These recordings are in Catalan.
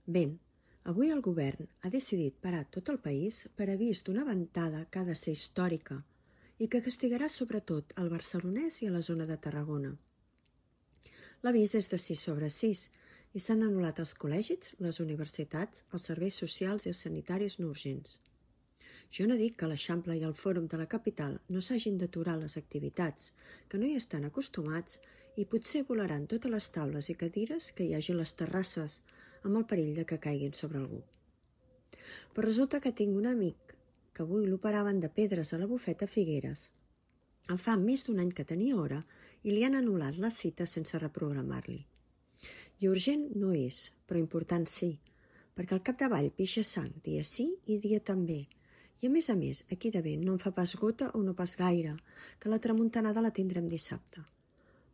Ben, avui el govern ha decidit parar tot el país per avís d'una ventada que ha de ser històrica i que castigarà sobretot el barcelonès i a la zona de Tarragona. L'avís és de 6/6 i s'han anul·lat els col·legis, les universitats, els serveis socials i els sanitaris no urgents. Jo no dic que l'Eixample i el Fòrum de la capital no s'hagin d'aturar les activitats, que no hi estan acostumats i potser volaran totes les taules i cadires que hi hagi a les terrasses, amb el perill de que caiguin sobre algú. Però resulta que tinc un amic que avui l'operaven de pedres a la bufeta Figueres. En fa més d'un any que tenia hora i li han anul·lat la cita sense reprogramar-li. I urgent no és, però important sí, perquè al capdavall pixa sang dia sí i dia també. I a més, aquí de vent no en fa pas gota o no pas gaire, que la tramuntanada la tindrem dissabte.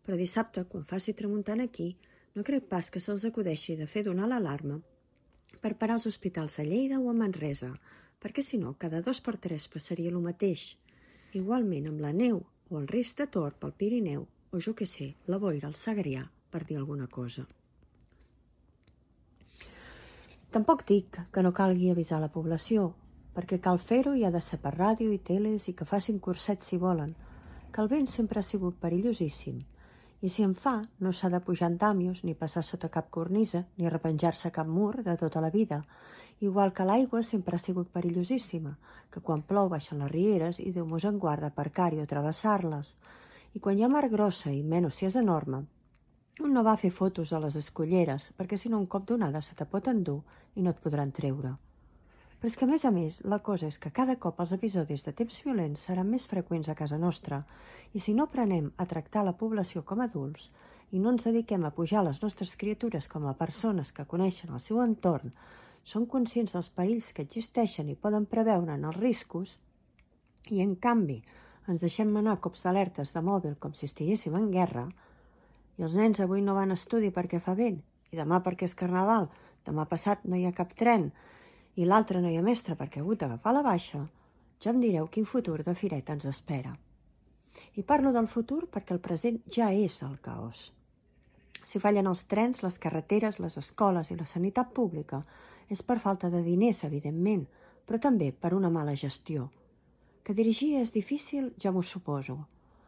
Però dissabte, quan faci tramuntana aquí, no crec pas que se'ls acudeixi de fer donar l'alarma per parar els hospitals a Lleida o a Manresa, perquè si no, cada 2 per 3 passaria el mateix. Igualment amb la neu o el risc de tort pel Pirineu, o jo què sé, la boira al Segrià, per dir alguna cosa. Tampoc dic que no calgui avisar la població, perquè cal fer-ho i ha de ser per ràdio i teles i que facin cursets si volen, que el vent sempre ha sigut perillosíssim, i si en fa no s'ha de pujar en dàmios, ni passar sota cap cornisa, ni repenjar-se cap mur de tota la vida, igual que l'aigua sempre ha sigut perillosíssima, que quan plou baixen les rieres i Déu mos en guarda aparcar-hi o travessar-les, i quan hi ha mar grossa i menys si és enorme, un no va a fer fotos a les escolleres, perquè si no un cop d'onada se te pot endur i no et podran treure. Però és que a més, la cosa és que cada cop els episodis de temps violents seran més freqüents a casa nostra i si no aprenem a tractar la població com a adults i no ens dediquem a pujar les nostres criatures com a persones que coneixen el seu entorn, són conscients dels perills que existeixen i poden preveure'n els riscos i, en canvi, ens deixem manar cops d'alertes de mòbil com si estiguéssim en guerra i els nens avui no van a estudi perquè fa vent i demà perquè és carnaval, demà passat no hi ha cap tren i l'altre no hi ha mestre perquè ha hagut d'agafar la baixa, ja em direu quin futur de fireta ens espera. I parlo del futur perquè el present ja és el caos. Si fallen els trens, les carreteres, les escoles i la sanitat pública, és per falta de diners, evidentment, però també per una mala gestió. Que dirigir és difícil, ja m'ho suposo,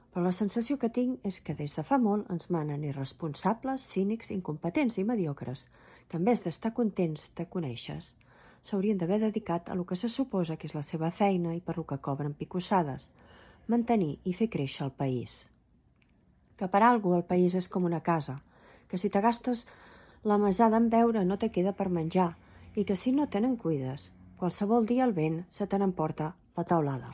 però la sensació que tinc és que des de fa molt ens manen irresponsables, cínics, incompetents i mediocres, que en vez d'estar contents te coneixes, s'haurien d'haver dedicat a lo que se suposa que és la seva feina i per lo que cobren picossades, mantenir i fer créixer el país. Que per algú el país és com una casa, que si te gastes la mesada en beure no te queda per menjar i que si no te n'en cuides, qualsevol dia el vent se te n'emporta la teulada.